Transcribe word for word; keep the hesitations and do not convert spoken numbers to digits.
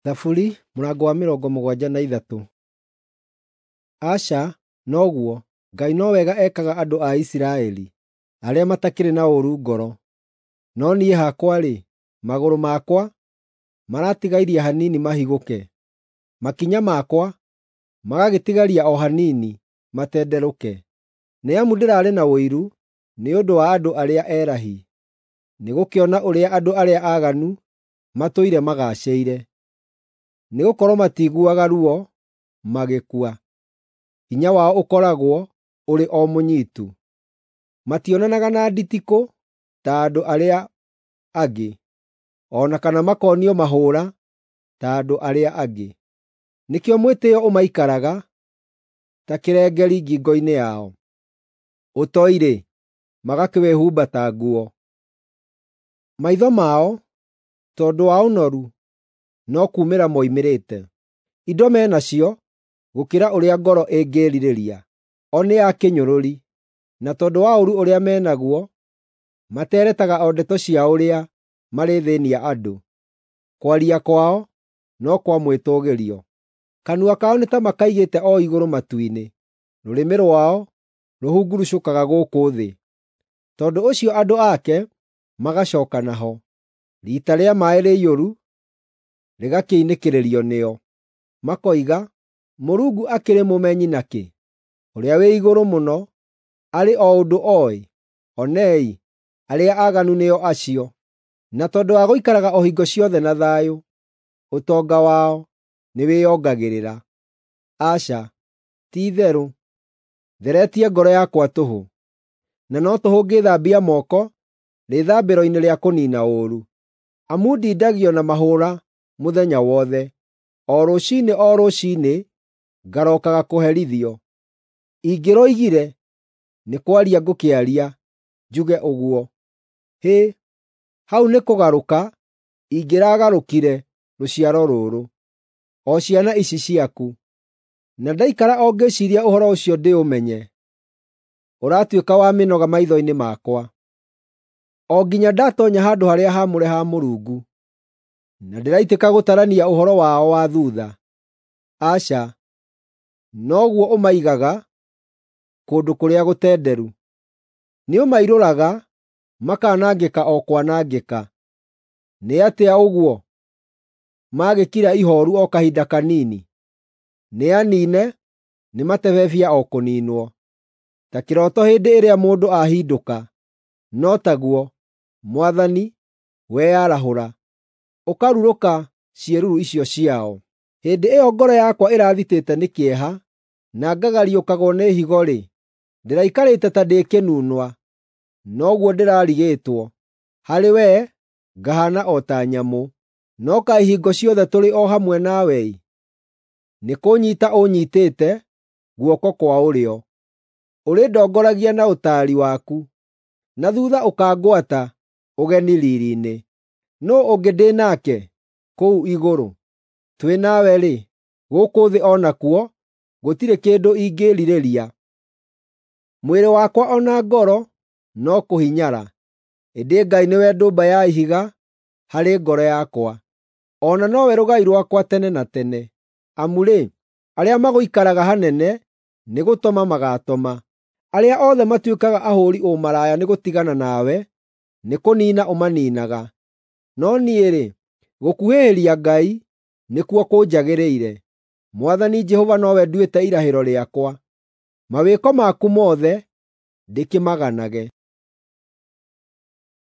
Thaburi mũrango wa mĩrongo mũgwanja na ithatũ. Aca, noguo, Ngai no wega ekaga andũ a Isiraeli, arĩa matakĩrĩ na ũũru ngoro. No niĩ hakwa-rĩ, magũrũ makwa maratigairie hanini mahigũke, makinya makwa magagĩtigaria o hanini matenderũke. Nĩ amu ndĩrarĩ na ũiru nĩ ũndũ wa andũ arĩa erahi, nĩgũkĩona ũrĩa andũ arĩa aaganu matũire magaacĩire. Nĩgũkorwo matiiguaga ruo magĩkua, hinya wao ũkoragwo ũrĩ o mũnyitu. Mationanaga na nditikũ ta andũ arĩa angĩ, o na kana makonio mahũũra ta andũ arĩa angĩ. Nĩkĩo mwĩtĩĩo ũmaikaraga ta kĩrengeri ngingo-inĩ yao, ũtoi-rĩ, magakĩwĩhumba ta nguo. Maitho mao, tondũ wa ũnoru, no kuumĩra moimĩrĩte. Indo me nacio gũkĩra ũrĩa ngoro ĩngĩĩrirĩria. O nĩ a kĩnyũrũri, na tondũ wa ũũru ũrĩa me naguo, materetaga o ndeto cia ũrĩa marĩthĩĩnia andũ. Kwaria kwao no kwa mwĩtũũgĩrio. Kanua kao nĩ ta makaigĩte o igũrũ matu-inĩ, rũrĩmĩ rwao rũhungurucũkaga gũkũ thĩ. Tondũ ũcio andũ ake magacooka naho, riita rĩa maaĩ rĩiyũru rĩgakĩinĩkĩrĩrio nĩo. Makoiga, “Mũrungu akĩrĩ mũmenyi nakĩ? Ũrĩa-wĩ-Igũrũ-Mũno arĩ o ũndũ oĩ?” Onei, arĩa aaganu nĩo acio, na tondũ wa gũikaraga o hingo ciothe na thayũ, ũtonga wao nĩwĩongagĩrĩra. Aca, ti-itherũ, theretie ngoro yakwa tũhũ, na no tũhũ ngĩĩthambia moko rĩĩthambĩro-inĩ rĩa kũniina ũũru. Amu ndindagio na mahũũra mũthenya wothe, o rũciinĩ o rũciinĩ ngarookaga kũherithio. Ingĩroigire, “Nĩ kwaria ngũkĩaria njuge ũguo,” hĩ, hau nĩ kũgarũka ingĩragarũkire rũciaro rũrũ, o ciana ici ciaku. Na ndaikara o ngĩciiria ũhoro ũcio ndĩũmenye, ũratuĩka wa mĩnoga maitho-inĩ makwa, o nginya ndatoonya handũ-harĩa-haamũre ha Mũrungu, na ndĩraitĩka gũtarania ũhoro wao wa thuutha. Aca, noguo ũmaigaga kũndũ kũrĩa gũtenderu. Nĩũmairũraga makanangĩka o kwanangĩka. Nĩ atĩa ũguo magĩkira ihooru o kahinda kanini? Nĩaniine, nĩ matebebia o kũniinwo. Ta kĩroto hĩndĩ ĩrĩa mũndũ ahindũka, no taguo, Mwathani, weyarahũra, ũkarurũka ciĩruru icio ciao. Hĩndĩ ĩyo ngoro yakwa ĩrathitĩte nĩ kĩeha, na ngagariũkagwo nĩ higo-rĩ, ndĩraikarĩte ta ndĩ kĩnunwa, noguo ndĩrarigĩtwo. Harĩ wee ngahaana o ta nyamũ. No kaĩ hingo ciothe tũrĩ o hamwe nawe-ĩ! Nĩkũnyiita ũnyiitĩte guoko kwa ũrĩo. Ũrĩndongoragia na ũtaari waku, na thuutha ũkangwata ũgeni riiri-inĩ. Nũũ ũngĩ ndĩ nake kũu igũrũ? Twĩ nawe-rĩ, gũkũ thĩ o nakuo gũtirĩ kĩndũ ingĩĩrirĩria. Mwĩrĩ wakwa o na ngoro no kũhinyara, ĩndĩ Ngai nĩwe ndũmba ya ihiga harĩ ngoro yakwa, o na nowe rũgai rwakwa tene na tene. Amu-rĩ, arĩa magũikaraga hanene nĩgũtoma magaatoma. Arĩa othe matuĩkaga ahũũri ũmaraya nĩgũtigana nawe, nĩkũniina ũmaniinaga. No niĩ-rĩ, gũkuhĩhĩria Ngai nĩkuo kũnjagĩrĩire. Mwathani Jehova nowe nduĩte irahĩro rĩakwa. Mawĩko maku mothe ndĩkĩmaganage.